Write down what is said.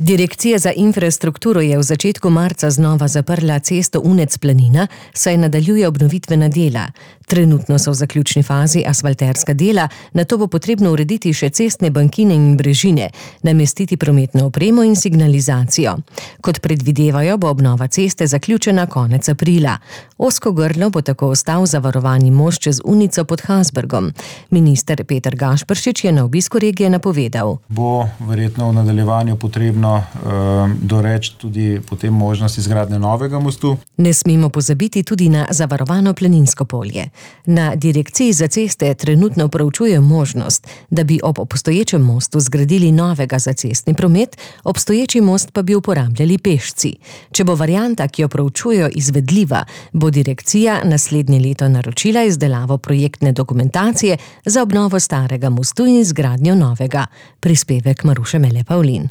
Direkcija za infrastrukturo je v začetku marca znova zaprla cesto Unec-Planina, saj nadaljuje obnovitvena dela. Trenutno so v zaključni fazi asfalterska dela, nato bo potrebno urediti še cestne bankine in brežine, namestiti prometno opremo in signalizacijo. Kot predvidevajo, bo obnova ceste zaključena konec aprila. Ozko grlo bo tako ostal zavarovani most čez Unico pod Hasbergom. Minister Peter Gašperšič je na obisku regije napovedal. Bo verjetno v nadaljevanju potrebno doreči tudi potem možnost izgradnje novega mostu. Ne smemo pozabiti tudi na zavarovano Planinsko polje. Na Direkciji za ceste trenutno proučujejo možnost, da bi ob obstoječem mostu zgradili novega za cestni promet, obstoječi most pa bi uporabljali pešci. Če bo varianta, ki jo proučujejo, izvedljiva, bo direkcija naslednje leto naročila izdelavo projektne dokumentacije za obnovo starega mostu in izgradnjo novega. Prispevek Maruše Mele Pavlin.